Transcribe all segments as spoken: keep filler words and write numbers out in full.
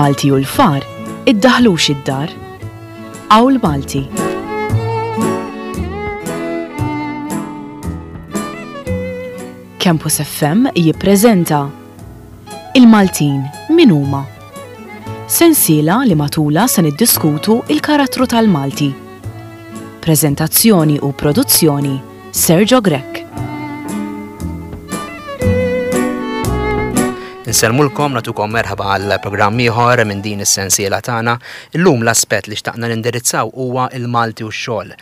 Il-Malti u l-far iddaħlux id-dar. Qawl Malti. Campus F M jippreżenta Il-Maltin min huma? Sensiela li matula se niddiskutu il-karattru tal-Malti. Preżentazzjoni u produzzjoni Sergio Grech. Nsellmulkom, natukom merħba għal programm ieħor minn din is-sensiela tagħna. Illum l-aspett li xtaqna nindirizzaw huwa il-Malti u x-xogħol.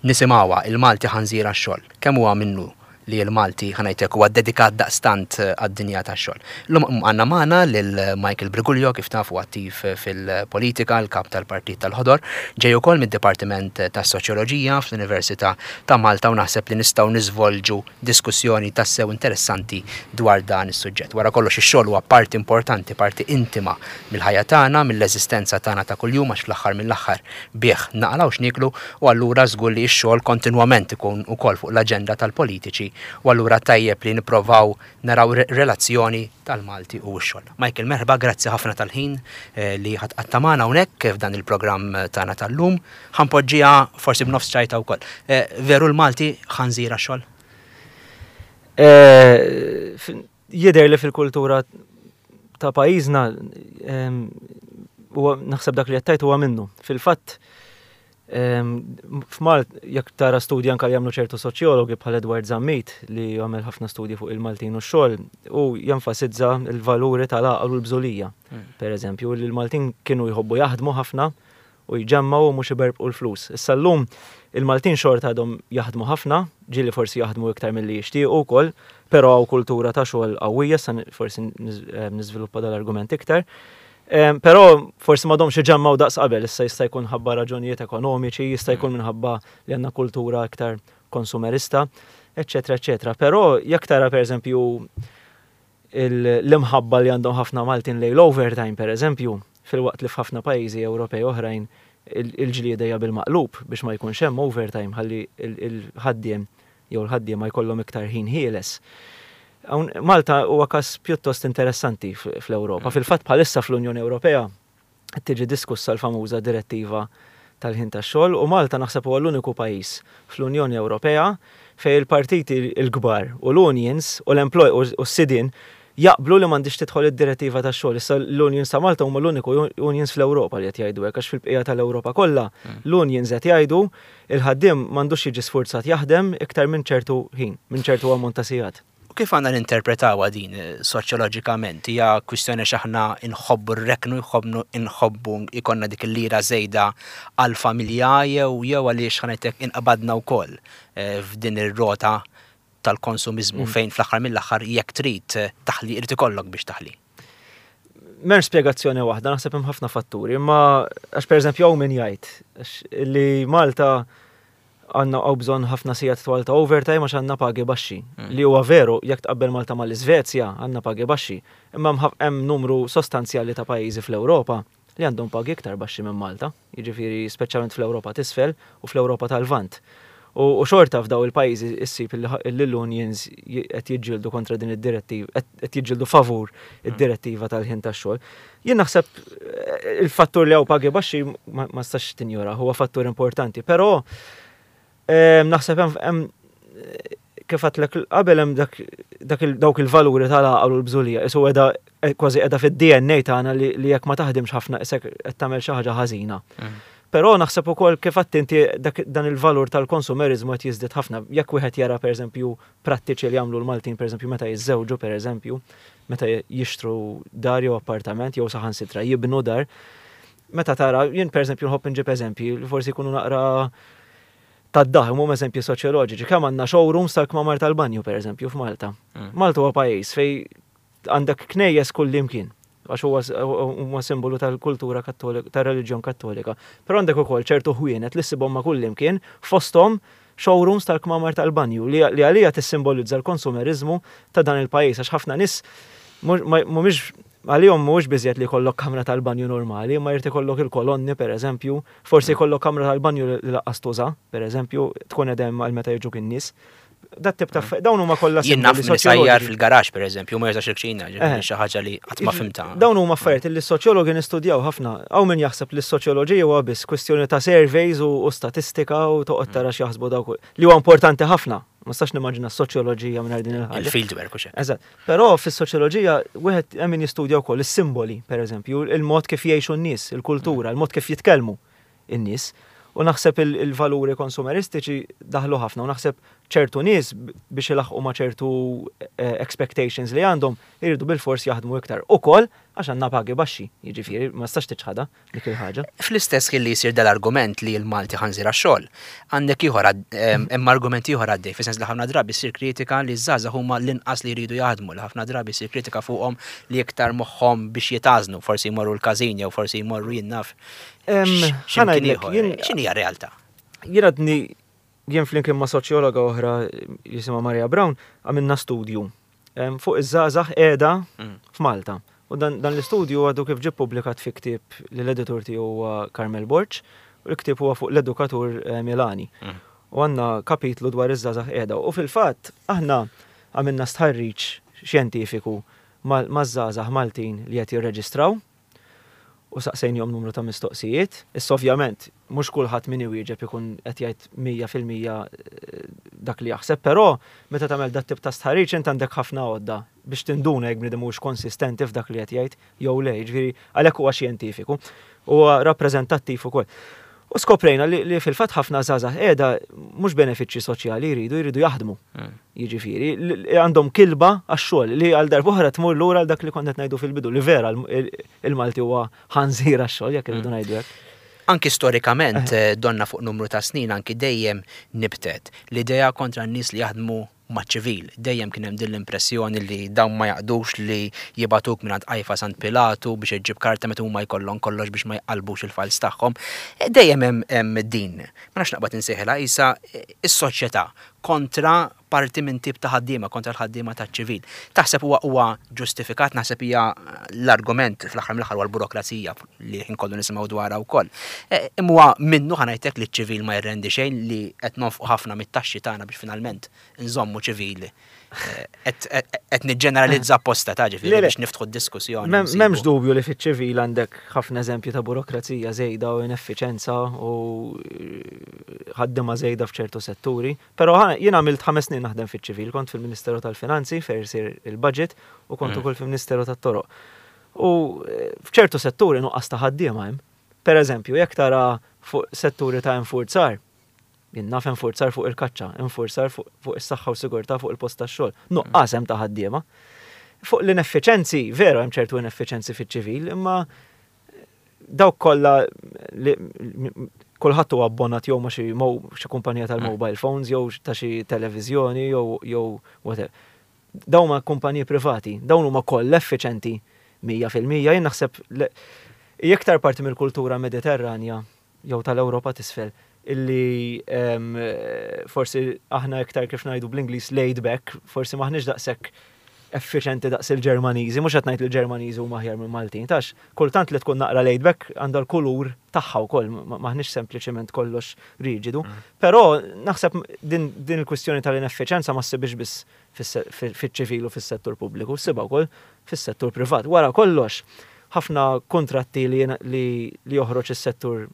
Nisimgħuha il-Malti ħanżira x-xogħol. Kemm huwa minnu li l-Malti ħanajtek huwa dedikat daqstant għad-dinja tax-xogħol. Illum għandna magħna lil Michael Briguglio, kif tafu attiv fil-politika, l-kap tal-Partit tal-Ħodor, ġej ukoll mid-Dipartiment tas-Soċjoloġija fl-Università ta' Malta u naħseb li nistgħu niżvolġu diskussjoni tassew interessanti dwar dan is-suġġett. Wara kollox ix-xogħol huwa parti importanti, parti intima mill-ħajja tagħna, mill-eżistenza tagħna ta' kuljum, għax fl-aħħar mill-aħħar bih naqalgħu x'nieklu, u allura żgur li x-xogħol kontinwament ikun ukoll fuq l-aġenda tal-politiċi, u allura tajjeb li nipprovaw naraw re-, relazzjoni tal-Malti u x-xogħol. Michael, merħba, grazzi ħafna tal-ħin, eh, li ħadd qatta' magħna hawnhekk f'dan il-programm tagħna tal-lum. Ħanpoġġiha forsi b'nofs ċajta wkoll. Eh, veru l-Malti ħanżira x-xogħol? Eh, f-, jidher li fil-kultura ta' pajjiżna, ehm, huwa naħseb dak li qed tgħid huwa minnu. Fil-fatt, ehm, f'Malt, jekk tara studji anke li jagħmlu ċertu soċjologi bħal Edward Zammit li jagħmel ħafna studji fuq il-Maltin u x-xogħol, u jenfasizza l-valuri tal-għaqal u l-bżulija. Mm. Per eżempju, li l-Maltin kienu jħobbu jaħdmu ħafna u jġemmaw u mhux iberbqu l-flus. Issa llum il-Maltin xorta għadhom jaħdmu ħafna, ġieli forsi jaħdmu iktar milli jixtiequ wkoll, però hawn kultura ta' xogħol qawwija, issa ni-, forsi niż-, eh, niżviluppa dal-argument iktar. Em, però forsi m'għadhomx iġemmaw daqs qabel, issa jista' jkun ħabba raġunijiet ekonomiċi, jista' jkun minħabba li għandna kultura iktar konsumerista, eċċetera, eċċetera. Però jekk tara pereżempju il-, l-imħabba li għandhom ħafna Maltin lejn l-overtime pereżempju, filwaqt li f'ħafna pajjiżi Ewropej oħrajn il-, il-ġlieda hija bil-maqlub biex ma jkunx hemm overtime ħalli il-, il-ħaddiem jew l-ħaddiem ma jkollhom iktar ħin ħieles. Hawn Malta huwa każ pjuttost interessanti f-, fl-Ewropa. Mm. Fil-fatt bħalissa fl-Unjoni Ewropea qed tiġi diskussa l-famuża direttiva tal-ħin tax-xogħol, u Malta naħseb huwa l-uniku pajjiż fl-Unjoni Ewropea fejn il-partiti l-kbar u l-unions u l-employ u s-sidien jaqblu li m'għandix tidħol id-direttiva tax-xogħol. Issa l-unions ta' Malta huma l-uniku un-, unions fl-Ewropa li qed jgħidu hekk, għax fil-bqija tal-Ewropa kollha Mm. l-unions qed jgħidu il-ħaddiem m'għandux jiġi sfurzat jaħdem iktar minn ċertu ħin, minn ċertu ammont ta' sigħat. U kif għandna ninterpretawha din, eh, soċjoloġikament? Hija kwistjoni x'aħna nħobbu r-reknu, nħobbu, nħobbu ikonna dik il-lira żejda għall-familja jew, jew għaliex ħanajtek inqabadna wkoll, eh, f'din ir-rota tal-konsumizmu Mm. fejn fl-aħħar mill-aħħar jekk trid, eh, taħli irid ikollok biex taħli. M'hemmx spjegazzjoni waħda, naħseb hemm ħafna fatturi, imma għax pereżempju hawn min jgħid għax li Malta għandna hawn bżonn ħafna sigħat twal ta' overtime għax għandna pagi baxxi. Mm. Li huwa veru, jekk tqabbel Malta mal-Iżvezja għandna pagi baxxi, imma hemm ħaf-, hemm numru sostanzjali ta' pajjiżi fl-Ewropa li għandhom pagi iktar baxxi minn Malta, jiġifieri speċjalment fl-Ewropa t'isfel u fl-Ewropa tal-Lvant. U, u xorta f'daw il-pajjiżi issib li ħa-, li l-unions j-, qed jiġġieldu kontra din id-direttiva, qed, qed jiġġieldu favur id-direttiva tal-ħin tax-xogħol. Jien naħseb, eh, il-fattur li hawn pagi baxxi ma, ma stax tinjora, huwa fattur importanti, però, ehm, naħseb hemm, hemm, kif għedtlek qabel hemm dak, dak il-, dawk il-valuri tal-għaqal u l-bżulija, isu qiegħda, eh, kważi qiegħda fid-D N A tagħna li, li jekk ma taħdimx ħafna isek qed tagħmel xi ħaġa ħażina. Mm. Però naħseb ukoll kif għedt inti dak, dan il-valur tal-konsumerizmu qed jiżdied ħafna. Jekk wieħed jara pereżempju prattiċi li jagħmlu l-Maltin pereżempju meta jiżżewġu pereżempju, meta jixtru dar jew appartament jew saħansitra jibnu dar, meta tara jien pereżempju nħobb inġib eżempji li forsi jkunu naqra tad-daħ, huma eżempji soċjoloġiċi. Kemm għandna showrooms tal-kmamar tal-banju pereżempju f'Malta. Mm. Malta huwa pajjiż fejn għandek knejjes kullimkien, għax huwa s-, huwa simbolu tal-kultura kattolika, tar-reliġjon kattolika. Però għandek ukoll ċertu ħwienet li ssibhom ma' kullimkien fosthom showrooms tal-kmamar tal-banju li, li għalija tissimbolizza l-konsumerizmu ta' dan il-pajjiż, għax ħafna nies mhux, ma, mhumiex għalihom mhuwiex biżjed li jkollok kamra tal-banju normali, ma jrid ikollok il-kolonni pereżempju, forsi jkollok kamra tal-banju li, li laqqas tuża, pereżempju, tkun edem għal meta jiġuk in-nies. Dat tip ta' dawn huma kollha Jien naf min isajjar fil-garaxx pereżempju, ma jużax il-kċina, ġifieri xi ħaġa li qatt ma fhimtha. Dawn huma affarijiet li s-soċjologi nistudjaw ħafna. Hawn min jaħseb li s-soċjoloġija huwa biss kwistjoni ta' surveys u statistika u toqgħod tara x'jaħsbu dawk li huwa importanti ħafna. Ma nistax nimmaġina s-soċjoloġija mingħajr din il-ħaġa. Il-fieldwork u xek. Eżatt. Però fis-soċjoloġija wieħed hemm min jistudja wkoll is-simboli, pereżempju, il-mod kif jgħixu n-nies, il-kultura, il-mod kif jitkellmu in-nies. U naħseb il-valuri konsumeristiċi daħlu ħafna u naħseb ċertu nies biex ilaħqu ma' ċertu expectations li għandhom iridu bil-fors jaħdmu iktar. Ukoll għax għandna pagi baxxi, jiġifieri ma tistax tiċħadha dik il-ħaġa. Fl-istess ħin li jsir dal-argument li l-Malti ħanżir għax-xogħol, għandek ieħor hemm argument ieħor għaddej, fis-sens li ħafna drabi ssir kritika li ż-żgħażagħ huma l-inqas li jridu jaħdmu, li ħafna drabi ssir kritika fuqhom li iktar moħħhom biex jitgħażnu, forsi jmorru l-każin jew forsi jmorru jien naf. X'inhi hija realtà? Jien għadni jien flimkien ma' soċjologa oħra jisimha Maria Brown għamilna studju fuq iż-żgħażagħ qiegħda f'Malta. U dan, dan l-istudju għadu kif ġie publikat fi ktieb li l-editur tiegħu huwa Carmel Borg, u l-ktieb huwa fuq l-edukatur Milani. U għandna kapitlu dwar iż-żgħażagħ qiegħda. U fil-fatt aħna għamilna stħarriġ xjentifiku maż-żgħażagħ Maltin li qed jirreġistraw u saqsejnihom numru ta' mistoqsijiet. Issa ovvjament mhux kulħadd min iwieġeb ikun qed jgħid mija fil-mija dak li jaħseb, però meta tagħmel dat tip ta' stħarriġ int għandek ħafna għodda biex tinduna jekk bniedem mhux konsistenti f'dak li qed jgħid jew le, jiġifieri għalhekk huwa xjentifiku, huwa rappreżentattiv ukoll. U skoprejna li, li fil-fatt ħafna żgħażagħ qiegħda mhux benefiċċji soċjali jridu, jridu jaħdmu. Jiġifieri, għandhom kilba għax-xogħol li għal darb'oħra tmur lura għal dak li kont qed ngħidu fil-bidu, li vera il-Malti huwa ħanżir għax-xogħol jekk irridu ngħidu hekk. Anki storikament donna fuq numru ta' snin anki dejjem nibtet l-idea kontra n-nies li jaħdmu maċ-ċivil. Dejjem kien hemm din l-impressjoni li dawn ma jaqdux li jibatuk minn għand Qajfa Sant Pilatu biex iġġib karta meta huma jkollhom kollox biex ma jqalbux il-fals tagħhom. Dejjem hemm din. Ma nafx naqbad insejħilha isa is-soċjetà kontra parti minn tip ta' ħaddiema, kontra l-ħaddiema taċ-ċivil. Taħseb huwa huwa ġustifikat, naħseb hija l-argument fl-aħħar mill-aħħar huwa l-burokrazija li ħin kollu nisimgħu dwarha wkoll. Imma huwa minnu ħa ngħidlek li ċ-ċivil ma jirrendi xejn li qed nonfqu ħafna mit-taxxi tagħna biex finalment nżommu ċivili. Qed niġġeneralizza apposta ta' ġifieri biex niftħu d-diskussjoni. M'hemmx dubju li fiċ-ċivil għandek ħafna eżempju ta' burokrazija żejda u ineffiċenza u ħaddiema żejda f'ċertu setturi, però jien għamilt ħames snin naħdem fiċ-ċivil, kont fil-Ministeru tal-Finanzi fejn isir il-budget u kont ukoll fil-Ministeru tat-Toroq. U f'ċertu setturi nuqqas ta' ħaddiema hemm. Per eżempju, jekk tara fuq setturi ta' infurzar, jien naf infurzar fuq il-kaċċa, infurzar fuq is-saħħa u sigurtà fuq il-post tax-xogħol, nuqqas hemm ta' ħaddiema. Fuq l-ineffiċenzi, veru hemm ċertu ineffiċenzi fiċ-ċivil, imma dawk kollha li kulħadd huwa abbonat jew ma' xi xi kumpanija tal-mobile phones jew ta' xi televiżjoni jew jew whatever. Dawn huma kumpaniji privati, dawn huma kollha effiċenti mija fil-mija. Jien naħseb iktar parti mill-kultura mediterranja jew tal-Ewropa t'isfel illi forsi aħna iktar kif ngħidu bl-Ingliż laid back, forsi maħniex daqshekk effiċenti daqs il-Ġermaniżi, mhux qed ngħid li l-Ġermaniżi huma aħjar minn Maltin, tax kultant li tkun naqra laid back għandha l-kulur tagħha wkoll, maħniex sempliċement kollox riġidu. Però naħseb din, din il-kwistjoni tal-ineffiċenza ma ssibix biss fiċ-ċivil u fis-settur pubbliku, ssibha wkoll fis-settur privat. Wara kollox, ħafna kontratti li, li, li joħroġ is-settur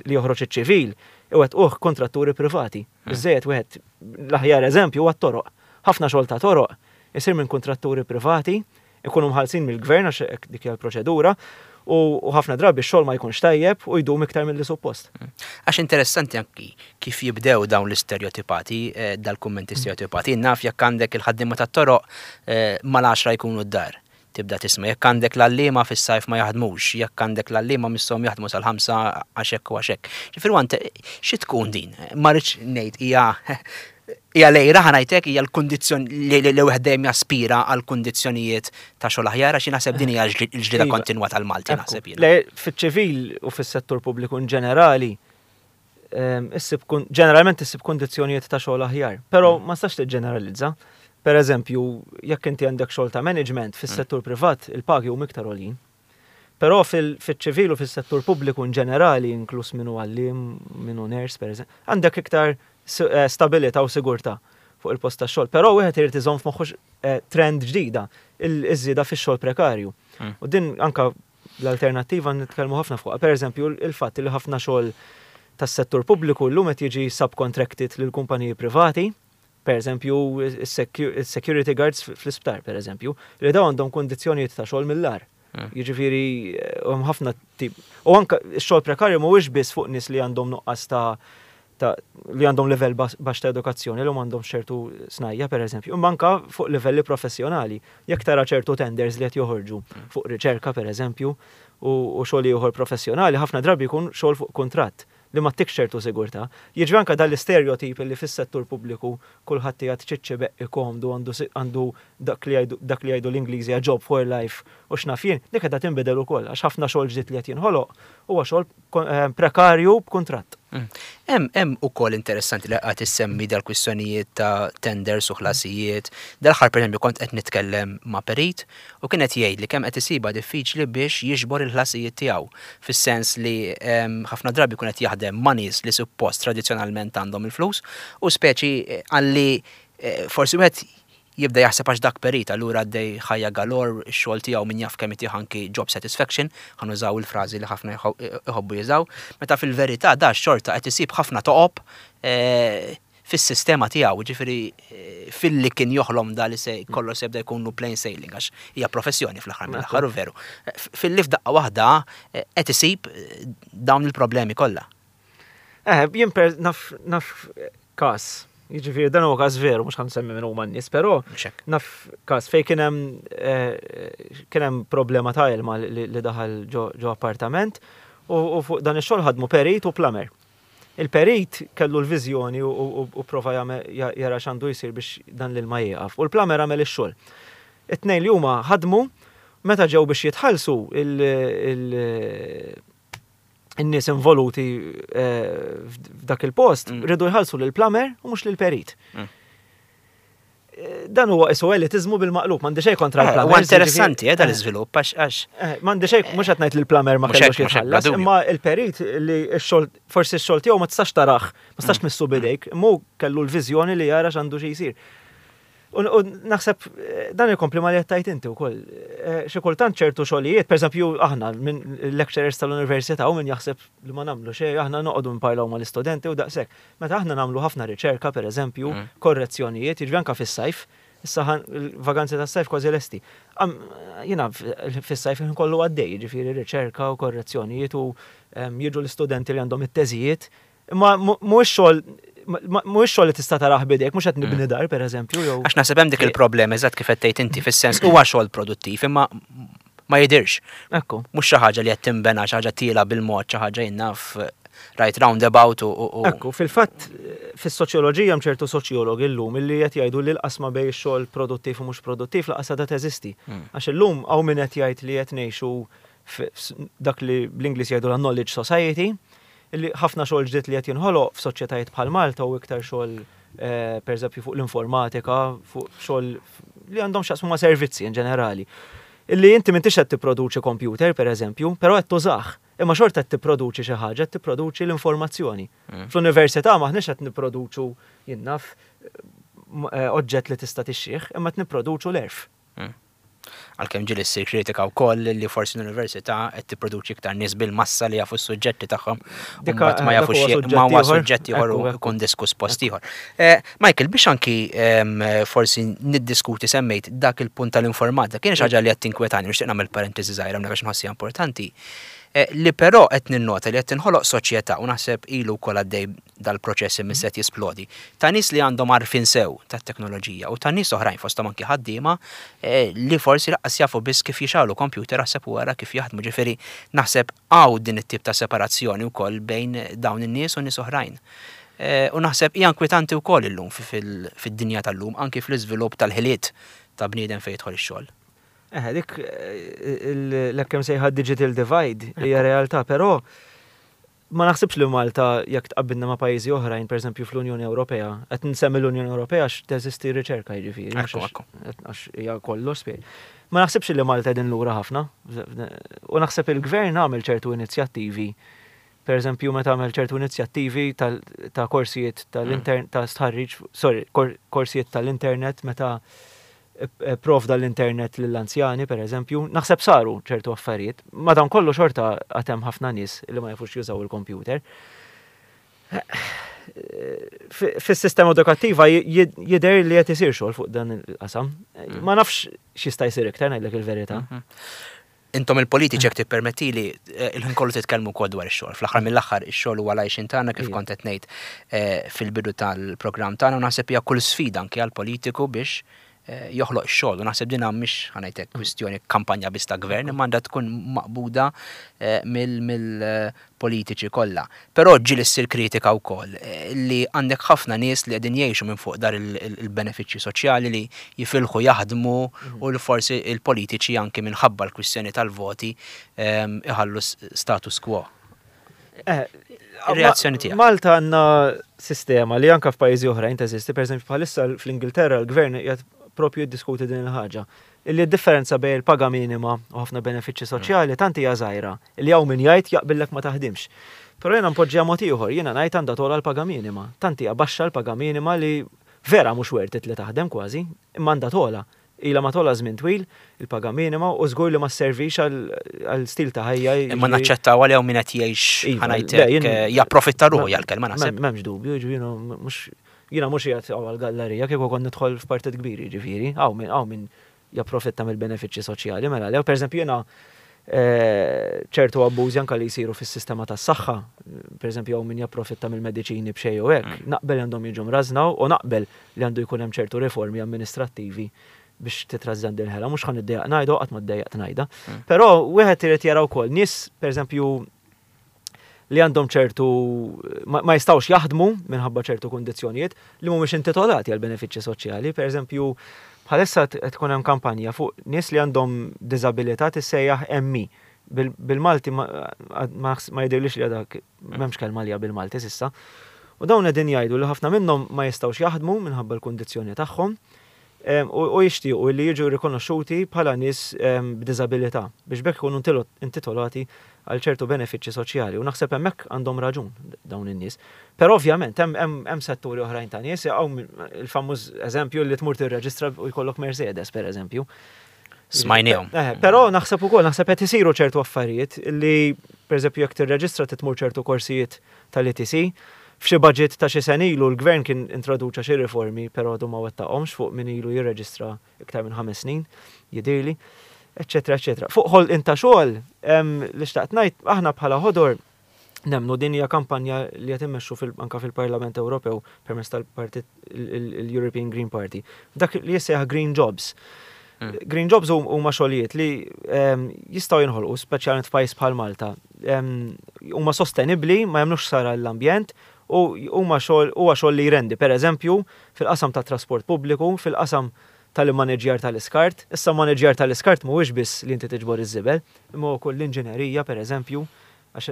li joħroġ iċ-ċivil, iwettquh kontratturi privati. Biżejjed wieħed l-aħjar eżempju huwa t-toroq. Ħafna xogħol ta' toroq isir minn kontratturi privati, ikunu mħallsin mill-gvern għax hekk dik hija l-proċedura, u ħafna drabi x-xogħol ma jkunx tajjeb u jdum iktar mill-li suppost. Għax interessanti anki kif jibdew dawn l-istereotipati, dal-kummenti stereotipati. Naf jekk għandek il-ħaddiema tat-toroq mal-għaxra jkunu d-dar. Tibda tisma' jekk għandek l-għalliema fis-sajf ma jaħdmux, jekk għandek l-għalliema misshom jaħdmu sal-ħamsa għax hekk u għax hekk. Ġifieri għante xi tkun din? Ma rridx ngħid hija hija lejra ħa ngħidlek hija l-kundizzjoni li li wieħed dejjem jaspira għal kundizzjonijiet ta' xogħol aħjar għax naħseb din hija l-ġlieda kontinwa tal-Malti naħseb jien. Le, fiċ-ċivil u fis-settur pubbliku in ġenerali, issib ġeneralment issib kundizzjonijiet ta' xogħol aħjar, però ma tistax tiġġeneralizza. Per eżempju, jekk inti għandek xogħol ta' management fis-settur privat, il-pagi huma iktar għoljin. Però fil-ċivil u fis-settur pubbliku in ġenerali, inkluż minnu għalliem, minnu nurse, per eżempju, għandek iktar stabilità u sigurtà. fuq il-post tax-xogħol. Però wieħed irid iżomm f'moħħu eh, trend ġdida, il-żieda fix-xogħol prekarju. Mm. U din anka l-alternattiva nitkellmu ħafna fuqha. Per eżempju, il-fatt li ħafna xogħol tas-settur pubbliku llum qed jiġi subcontracted lil kumpaniji privati, per eżempju, is-security guards fl-isptar, per eżempju, li dawn għandhom kundizzjonijiet ta' xogħol mill-agħar. Mm. Jiġifieri hemm ħafna tip. U anka x-xogħol prekarju mhuwiex biss fuq nies li għandhom nuqqas ta' ta' li għandhom livell baxx ta' edukazzjoni, li għandhom ċertu snajja, per eżempju, imma anka fuq livelli professjonali. Jekk tara ċertu tenders li qed joħorġu fuq riċerka, per eżempju, u u xogħol ieħor professjonali, ħafna drabi jkun xogħol fuq kuntratt li ma ttikx ċertu sigurtà. Jiġri anka dal-istereotip li fis-settur pubbliku kulħadd qiegħed ċiċċi beqqi komdu għandu si- għandu dak li jgħidu dak li jgħidu l-Ingliżi job for life u x'naf jien, dik qiegħda tinbidel ukoll għax ħafna xogħol ġdid li qed jinħoloq huwa xogħol kon- eh, prekarju b'kuntratt. Mm. Hemm hemm ukoll interessanti li qed issemmi dal-kwistjonijiet ta' tenders u ħlasijiet. Dal-aħħar pereżempju kont qed nitkellem ma' perit u kien qed jgħid li kemm qed isibha diffiċli biex jiġbor il-ħlasijiet tiegħu. Fis-sens li em, ħafna drabi jkun qed jaħdem ma' nies li suppost tradizzjonalment għandhom il-flus u speċi eh, għalli eh, forsi wieħed jibda jaħseb għax dak perit, allura għaddej ħajja galor, ix-xogħol tiegħu min jaf kemm itih anki job satisfaction, ħa nużaw il-frażi li ħafna jħo- iħobbu jużaw, meta fil-verità da xorta qed isib ħafna toqob eh, fis-sistema tiegħu, ġifieri eh, filli kien joħlom da li se kollox se jibda jkunu plain sailing għax hija professjoni fl-aħħar mill-aħħar u veru. Eh, Filli f'daqqa waħda eh, qed isib eh, dawn il-problemi kollha. Eh, jien per naf naf każ, jiġifieri dan huwa każ veru, mhux ħa nsemmi minn huma n-nies, però Mhux hekk. naf każ fejn kien hemm eh, kien hemm problema ta' ilma li, li daħal ġo, ġo appartament u, u fuq dan ix-xogħol ħadmu perit u plumber. Il-perit kellu l-viżjoni u, u, u prova jagħmel- ja- jara x'għandu jsir biex dan l-ilma jieqaf. U l-plumber għamel ix-xogħol. It-tnejn li huma ħadmu meta ġew biex jitħallsu il, il, in-nies involuti eh, f'dak il-post Mm. rridu jħallsu lill-plumber u mhux lill-perit. Mm. Eh, Dan huwa isu elitizmu bil-maqlub, m'għandi xejn kontra Eh, l-plumber. Huwa interessanti eh, dal-iżvilupp għax għax M'għandi xejn mhux qed ngħid li l-plumber ma Mhux kellux hekk, mhux hekk, bla jitħallas, dubju. imma il-perit li x-xogħol forsi x-xogħol tiegħu ma tistax tarah, ma tistax Mm. tmissu bidejk, imma hu kellu l-viżjoni li jara x'għandu xi jsir. U u naħseb eh, dan ikompli ma li qed tgħid inti wkoll. Eh, Xi kultant ċertu xogħlijiet, pereżempju aħna minn lecturers tal-università u min jaħseb li ma nagħmlu xejn, aħna noqogħdu nparlaw mal-istudenti u daqshekk. Meta aħna nagħmlu ħafna riċerka, pereżempju, Mm. korrezzjonijiet, jiġri anke fis-sajf, issa ħan- il-vaganzi tas-sajf kważi lesti. Am, Jiena f- fis-sajf ħin kollu għaddej, jiġifieri riċerka u korrezzjonijiet u em, jiġu l-istudenti li għandhom it-teżijiet. Imma mhuwiex xogħol mhuwiex xogħol li tista' tarah bidejk, mhux qed nibni dar pereżempju jew. Għax naħseb hemm dik il-problema eżatt kif qed tgħid inti fis-sens huwa xogħol produttiv imma ma jidirx. Ekku. Mhux xi ħaġa li qed tinbena xi ħaġa tiela bil-mod, xi ħaġa jien naf right roundabout u u- u Ekku, fil-fatt fis-soċjoloġija hemm ċertu soċjologi llum illi qed jgħidu li l-qasma bejn ix-xogħol produttiv u mhux produttiv lanqas għadha teżisti. Mm. Għax illum hawn min qed jgħid li qed ngħixu f- dak li bl-Ingliż jgħidu la knowledge society, illi ħafna xogħol ġdid li qed jinħoloq f'soċjetajiet bħal Malta u iktar xogħol eh, pereżempju fuq l-informatika, fuq xogħol li għandhom x'jaqsmu ma' servizzi in ġenerali. Illi inti m'intix qed tipproduċi computer pereżempju, però qed tużah. Imma xorta qed tipproduċi xi ħaġa, qed tipproduċi l-informazzjoni. Mm. Fl-università m'aħniex qed nipproduċu jien naf eh, oġġett li tista' tixxih, imma qed nipproduċu l-għerf. Għalkemm ġieli ssir kritika wkoll li forsi l-università qed tipproduċi iktar nies bil-massa li jafu s-suġġetti tagħhom u Dik- mbagħad ma eh, dak jafux huwa xie- suġġett ma huwa ieħor. suġġett ieħor u Ekku, ekku. jkun diskuss post ieħor. Eh, Michael, biex anki em, forsi niddiskuti semmejt dak il-punt tal-informatika, kien xi ħaġa li qed tinkwetani, nixtieq nagħmel parentesi żgħira hawnhekk għax nħossija importanti. Eh, Li però qed ninnota li qed tinħoloq soċjetà u naħseb ilu wkoll għaddej dal-proċess imma se jisplodi. Ta' nies li għandhom għarfien sew tat-teknoloġija u ta' nies oħrajn fosthom anki ħaddiema eh, li forsi lanqas jafu biss kif jixgħelu computer aħseb u wara kif jaħdmu. Ġifieri naħseb hawn din it-tip ta' separazzjoni wkoll bejn dawn in-nies u nies oħrajn. Eh, U naħseb hija inkwetanti wkoll illum fi- fil- fid-dinja tal-lum anki fl-iżvilupp tal-ħiliet ta' bniedem fejn jidħol ix-xogħol. Eh, dik eh, l-hekk sejħa digital divide hija realtà, però ma naħsibx li Malta jekk tqabbilna ma' pajjiżi oħrajn, pereżempju fl-Unjoni Ewropea, qed nsemmi l-Unjoni Ewropea għax teżisti riċerka jiġifieri, mhux Ekku, għax- ekku. għax hija kollox spjeg. Ma naħsibx li Malta qegħdin lura ħafna. U naħseb il-gvern għamel ċertu inizjattivi Per eżempju, meta għamel ċertu inizjattivi ta' korsijiet tal-internet, ta' stħarriġ, sorry, korsijiet tal-internet, meta provda l-internet lill-anzjani, per eżempju, naħseb saru ċertu affarijiet. Madankollu xorta għad hemm ħafna nies li ma jafux jużaw il-computer. Fis-sistema edukattiva jidher li qed isir xogħol fuq dan il-qasam. Mm. Ma nafx x'jista' jsir iktar, ngħidlek il-verità. Mhm. Intom il-politiċi, jekk tippermettili, eh, il-ħin kollu titkellmu wkoll dwar ix-xogħol. Fl-aħħar mill-aħħar ix-xogħol huwa l-għajxien tagħna, kif kont qed ngħid eh, fil-bidu tal-programm tagħna, u naħseb hija kull sfida anke għall-politiku biex eh, joħloq ix-xogħol. U naħseb din mhix, ħa ngħidlek, kwistjoni kampanja biss ta' gvern, imma għandha tkun maqbuda mill-politiċi kollha. Però ġieli ssir kritika wkoll li għandek ħafna nies li qegħdin jgħixu minn fuq dar il-benefiċċji soċjali li jifilħu jaħdmu mhm. u li forsi il-politiċi anke minħabba l-kwistjoni tal-voti iħallu status quo. Eh, Reazzjoni tiegħek. Malta għandna sistema li anka f'pajjiżi oħrajn teżisti, pereżempju bħalissa fl-Ingilterra l-gvern qiegħed propju jiddiskuti din il-ħaġa. Illi d-differenza bejn il-paga minima u ħafna benefiċċji soċjali tant hija żgħira li hawn min jgħid jaqbillek ma taħdimx. Però jiena npoġġiha mod ieħor, jiena ngħid għandha togħla l-paga minima. Tant hija baxxa l-paga minima li vera mhux worth it li taħdem kważi, imma għandha togħla. Ilha ma togħla żmien twil il-paga minima u żgur li ma sservix għal stil ta' ħajja. Imma naċċettaw għal min qed jgħix, Iva, ħa ngħidlek, japprofitta ruħu jgħal-kelma naħseb. M'hemmx dubju, jiġifieri mhux jiena mhux qiegħed għal gallerija kieku kont nidħol f'partit kbir, jiġifieri, hawn min hawn min japprofitta mill-benefiċċji soċjali, mela lew, pereżempju jiena eh, ċertu abbużi anka li jsiru fis-sistema tas-saħħa, pereżempju hawn min japprofitta mill-mediċini b'xejn u hekk, mm. naqbel għandhom jiġu mrażna u naqbel li għandu jkun hemm ċertu riformi amministrattivi biex titrażżan din ħela, mhux ħa niddejjaq ngħidu, qatt ma ddejjaqt ngħidha. Mm. Però wieħed irid jara wkoll nies, pereżempju, li għandhom ċertu ma jistgħux jaħdmu minħabba ċertu kundizzjonijiet li mhumiex intitolati għal benefiċċji soċjali. Pereżempju, bħalissa tkun hemm kampanja fuq nies li għandhom diżabilità tissejjaħ M E. Bil-Malti ma jidhirlix li għadak m'hemmx kelma li bil-Malti s'issa. U dawn qegħdin jgħidu li ħafna minnhom ma jistgħux jaħdmu minħabba l-kundizzjoni tagħhom u jixtiequ li jiġu rikonoxxuti bħala nies b'diżabilità biex b'hekk ikunu intitolati għal ċertu benefiċċji soċjali, u naħseb hemmhekk għandhom raġun dawn in-nies. Però ovvjament hemm setturi oħrajn ta' nies, hawn il-famuż eżempju li tmur tirreġistra u jkollok Mercedes, per eżempju. Smajnihom. Eh, però naħseb ukoll, naħseb qed isiru ċertu affarijiet li, pereżempju, jekk tirreġistra titmur ċertu korsijiet tal-E T C. F'xi budget ta' xi sena ilu l-gvern kien introduċa xi riformi, però għadu ma wettaqhomx fuq min ilu jirreġistra iktar minn ħames snin, jidhirli, eċetera, eċetera. Fuq ħolqien ta' xogħol, li xtaqt ngħid, aħna bħala Ħodor nemmnu, din hija kampanja li qed immexxu anka fil-Parlament Ewropew permezz tal-partit il-European Green Party. Dak li jissejjaħ Green Jobs. Mm. Green Jobs huma xogħlijiet li jistgħu jinħolqu, speċjalment f'pajjiż bħal Malta. Huma sostenibbli, ma jagħmlux ħsara l-ambjent u huma xogħol huwa xogħol li jrendi, pereżempju, fil-qasam tat trasport pubbliku, fil-qasam tal-manager tal-iskart. Issa manager tal-iskart mhuwiex biss li inti tiġbor iż-żibel, imma wkoll l-inġinerija, pereżempju, għax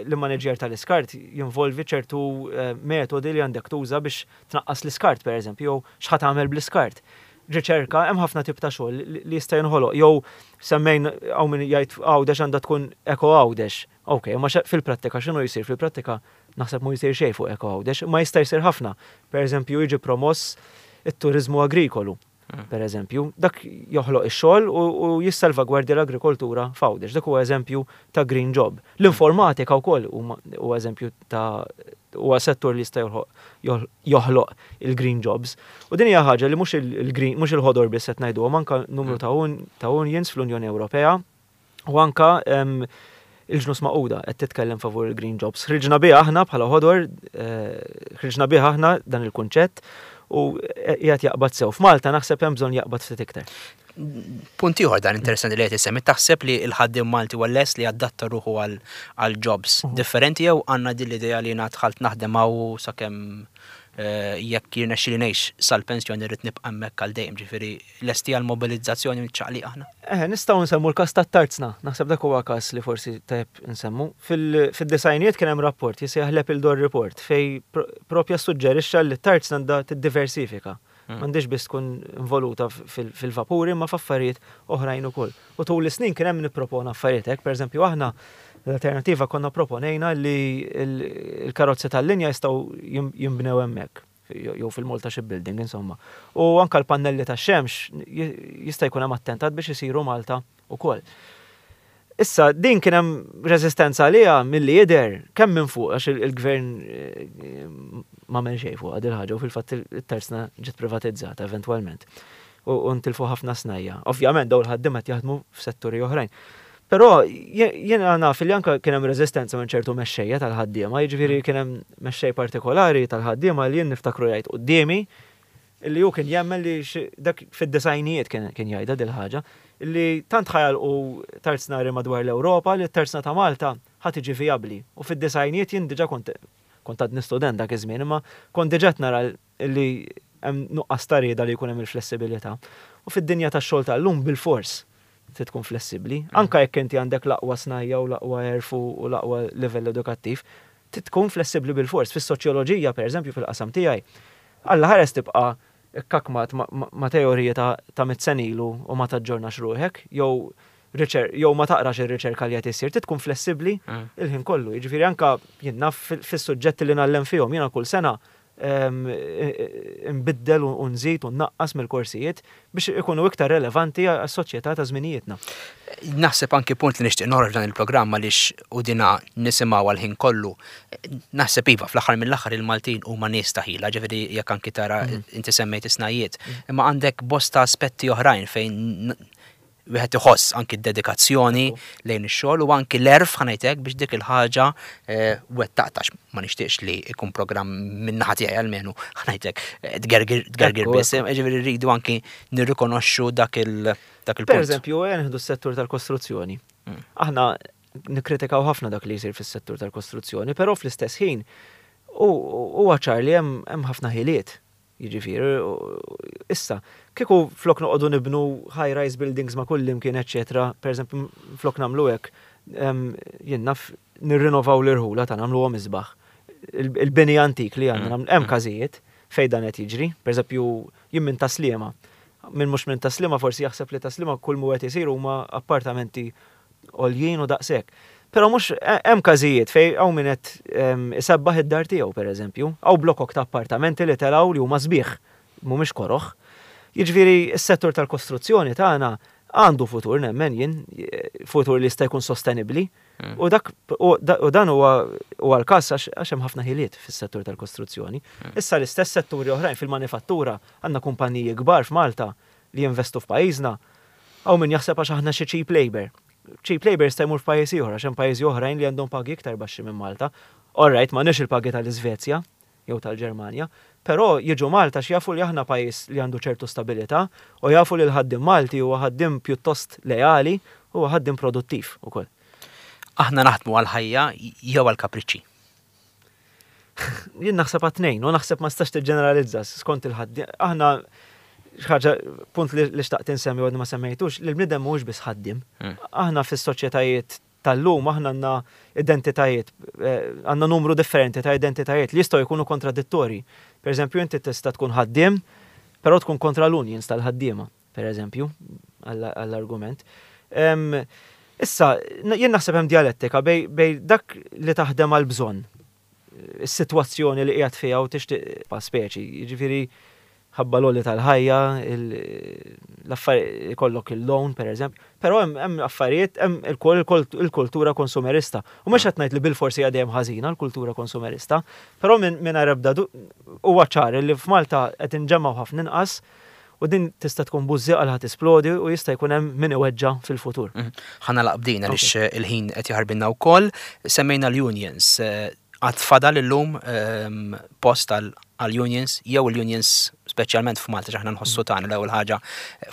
l-manager tal-iskart jinvolvi ċertu eh, metodi li għandek tuża biex tnaqqas l-iskart, pereżempju, jew x'ħa tagħmel bl-iskart. Riċerka, hemm ħafna tip ta' xogħol li jista' jinħoloq, jew semmejn hawn min jgħid Għawdex għandha tkun eko Għawdex. Ok, ma fil-prattika x'inhu jsir? Fil-prattika naħseb mu jsir xejn fuq eko Għawdex, ma jista' jsir ħafna. Per eżempju, jiġi promoss it-turizmu agrikolu. Mm. Per eżempju, dak joħloq ix-xogħol u jissalvagwardja l-agrikoltura f'Għawdex. Dak huwa eżempju ta' green job. L-informatika wkoll huwa eżempju ta' huwa settur li jista' joħloq il-green jobs. U din hija ħaġa li mhux il-green, mhux il-Ħodor biss qed ngħidu, anka numru mm. ta' unions fl-Unjoni Ewropea u anka il-Ġnus Magħquda qed titkellem favur il-green jobs. Ħriġna biha aħna bħala Ħodor, eh, ħriġna biha aħna dan il-kunċett u qiegħed jaqbad sew. F'Malta naħseb hemm bżonn jaqbad ftit iktar. Punt ieħor dan interessanti li qed issemmi, taħseb li l-ħaddiem Malti huwa lest li adatta ruħu għal jobs mhm. differenti jew għandna din l-idea li jiena dħalt naħdem hawn sakemm eh, jekk jirnexxili ngħix sal-pensjoni rrid nibqa' hemmhekk għal dejjem, ġifieri lesti għal mobilizzazzjoni ċaqliq aħna? Eh, nistgħu nsemmu l-każ tat-tarzna, naħseb dak huwa każ li forsi tajjeb nsemmu. Fid-disgħinijiet kien hemm rapport jisejjaħ l-Appledore Report fej propja suġġerixxa li t-tarzna għandha tiddiversifika. Mm. M'għandix biss tkun involuta fil-vapuri, ma f'affarijiet oħrajn ukoll. U tul is-snin kien hemm nippropona affarijiet hekk, pereżempju aħna L-alternativa konna proponejna li il-karozzi tal-linja jistgħu jinbnew hemmhekk jew fil-Malta Shipbuilding, insomma. U anka l-pannelli tax-xemx jista' jkun hemm attentat biex isiru Malta ukoll. Issa, din kien hemm reżistenza għaliha milli jidher kemm minn fuq, għax il-gvern eh, ma għamel xejn fuq din ħaġa u fil-fatt it-tarzna ġiet privatizzata eventwalment. U ntilfu ħafna snajja. Ovvjament dawn il-ħaddiema qed jaħdmu f'setturi oħrajn. Però jiena naf li anke kien hemm reżistenza minn ċertu mexxejja tal-ħaddiema, jiġifieri kien hemm mexxej partikolari tal-ħaddiema li jien niftakru jgħid quddiemi li hu kien jemmen li dak fid-disgħinijiet kien jgħidha dil ħaġa li tant ħa jagħlqu tarznari madwar l-Ewropa li t-tarzna ta' Malta ħa tiġi vijabbli. U fid-disgħinijiet jien diġà kont kont għadni student dak iż-żmien, imma kont diġà nara li hemm nuqqas ta' rieda li jkun hemm il-flessibilità. U fid-dinja tax-xogħol tal-lum bil-fors trid tkun flessibbli. Anka jekk inti għandek l-aqwa snajja u l-aqwa għerf u l-aqwa livell edukattiv, trid tkun flessibbli bil-fors. Fis-soċjoloġija, pereżempju, fil-qasam tiegħi, Alla ħares tibqa' ikkakmat ma' teorija ta' mitt sena ilu u ma taġġornax ruħek, jew jew ma taqrax ir-riċerka li qed issir, trid tkun flessibbli il-ħin kollu. Jiġifieri anka jien naf fis-suġġetti li ngħallem fihom, jiena kull sena nbiddel u nżid u nnaqqas mill-korsijiet biex ikunu iktar relevanti għas-soċjetà ta' żminijietna. Naħseb anki punt li nixtieq noħroġ dan il-programm għaliex u dina nisimgħu għal-ħin kollu. Naħseb iva, fl-aħħar mill-aħħar il-Maltin huma nies ta' ħila, ġifieri jekk anki tara inti semmejt is-snajjiet, imma għandek bosta aspetti oħrajn fejn wieħed iħoss anki d-dedikazzjoni lejn ix-xogħol u anki l-għerf, ħa ngħidlek, biex dik il-ħaġa wettaqtax. Ma nixtieqx li ikun programm min-naħa tiegħi almenu, ħa ngħidlek, tgergir biss, ġifieri rridu anki nirrikonoxxu dak il dak il-punt. Per eżempju, nieħdu s-settur tal-kostruzzjoni. Aħna nikkritikaw ħafna dak li jsir fis-settur tal-kostruzzjoni, però fl-istess ħin huwa ċar li hemm ħafna ħiliet. Jiġifieri, issa, kieku flok noqogħdu nibnu high-rise buildings ma' kull imkien, eċċetera, per eżempju, flok nagħmlu hekk, jien naf nirrinnovaw l-irħula ta' nagħmluhom isbaħ. Il-bini antik li għandna, hemm każijiet fejn dan qed jiġri, per eżempju, jien minn Tas-Sliema. Min mhux minn Tas-Sliema forsi jaħseb li Tas-Sliema kull mu qed isir huma appartamenti għoljin u daqshekk. Però mhux hemm każijiet fejn hawn min qed isebbaħ id-dar tiegħu pereżempju, hawn blokok ta' appartamenti li telgħu li huma sbieħ, mhumiex koroħ. Jiġifieri s-settur tal-kostruzzjoni tagħna għandu futur nemmen jien, futur li jista' jkun sostenibbli. U dak u dan huwa huwa l-każ għax hemm ħafna ħiliet fis-settur tal-kostruzzjoni. Issa l-istess setturi oħrajn fil-manifattura għandna kumpaniji kbar f'Malta li jinvestu f'pajjiżna. Hawn min jaħseb għax aħna xi cheap labor. Cheap labor jista' jmur f'pajjiż ieħor għax hemm pajjiżi oħrajn li għandhom pagi iktar baxxi minn Malta. All right, m'għandniex il-pagi tal-Iżvezja jew tal-Ġermanja, però jiġu Malta x'jafu li aħna pajjiż li għandu ċertu stabilità u jafu li l-ħaddiem Malti huwa ħaddiem pjuttost leali u ħaddiem produttiv ukoll. Aħna naħdmu għal-ħajja jew għal-kapriċċi? Jien naħseb għat-tnejn u naħseb ma stax tiġġeneralizza skont il-ħaddiem. Aħna ħaġa, punt li xtaqt insemmi u għadni ma semmejtux, li l-bniedem mhuwiex biss ħaddiem. Aħna fis-soċjetajiet tal-lum aħna għandna identitajiet, għandna numru differenti ta' identitajiet li jistgħu jkunu kontradittori. Per eżempju, inti tista' tkun ħaddiem, però tkun kontra l-unions tal-ħaddiema, per eżempju, għall-argument. Issa, jien naħseb hemm dialettika bej dak li taħdem għal bżonn, is-sitwazzjoni li qiegħed fiha u tixtieq pa' speċi, jiġifieri ħabba l-għoli tal-ħajja, l-affarijiet ikollok il-loan, per eżempju, però hemm affarijiet, hemm il-kultura konsumerista. U mhux qed ngħid li bil-forsi hija dejjem ħażina l-kultura konsumerista, però minn ebda huwa ċar li f'Malta qed inġemmgħu ħafna inqas u din tista' tkun bużżieqa li ħa tisplodi u jista' jkun hemm min iweġġa' fil-futur. Ħa nagħlaq b'din għaliex il-ħin qed jaħarbilna wkoll. Semmejna l-unions. Għad fadal illum post għal-unions, jew l-unions speċjalment f'Malta x'aħna nħossu tagħna l-ewwel ħaġa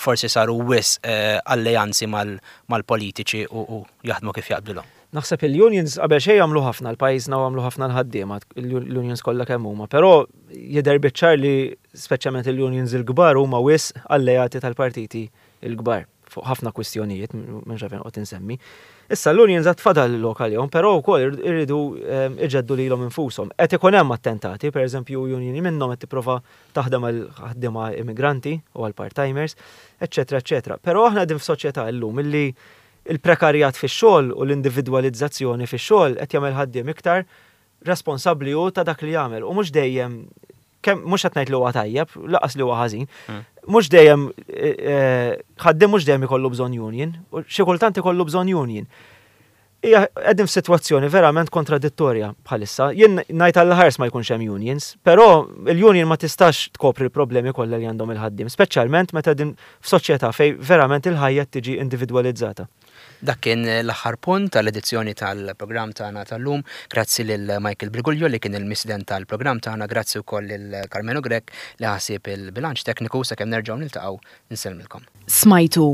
forsi saru wisq alleanzi mal-politiċi u jaħdmu kif jaqblilhom. Naħseb il-unions qabel xejn jagħmlu ħafna l-pajjiżna u għamlu ħafna l-ħaddiema, l-unions kollha kemm huma, però jidher biċ-ċar li speċjalment il-unions il-kbar huma wisq alleati tal-partiti il-kbar fuq ħafna kwistjonijiet, minn xafin qed insemmi. Issa l-unions għad fadal lokal jom, però wkoll irridu iġeddu lilhom infushom. Qed ikun hemm attentati, pereżempju union minnhom qed tipprova taħdem għal ħaddiema immigranti u għal part-timers, eċċetera, eċċetera. Però aħna qegħdin f'soċjetà llum illi Il-prekarjat fix-xogħol u l-individwalizzazzjoni fix-xogħol qed jagħmel ħaddiem iktar responsabbli hu ta' dak li jagħmel u mhux dejjem kemm mhux qed ngħid li huwa tajjeb, lanqas li huwa ħażin. Mm. Mhux dejjem eh, eh, ħaddiem mhux dejjem ikollu bżonn union, u xi kultant ikollu bżonn union. Hija qegħdin f'sitwazzjoni verament kontradittorja bħalissa. Jien ngħid għall ma jkunx hemm unions, però il-union ma tistax tkopri l-problemi kollha li għandhom il-ħaddiem, speċjalment meta din f'soċjetà fejn verament il-ħajja tiġi individwalizzata. Dak kien l-aħħar punt tal-edizzjoni tal-programm tagħna tal-lum. Grazzi lil Michael Briguglio li kien il-mistieden tal-programm tagħna, grazzi wkoll lil Carmelo Grech li ħasib il-bilanċ tekniku. Sakemm nerġgħu niltaqgħu, nsellmilkom. Smajtu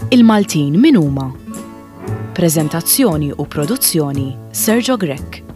Il-Maltin min huma? Preżentazzjoni u produzzjoni Sergio Grech.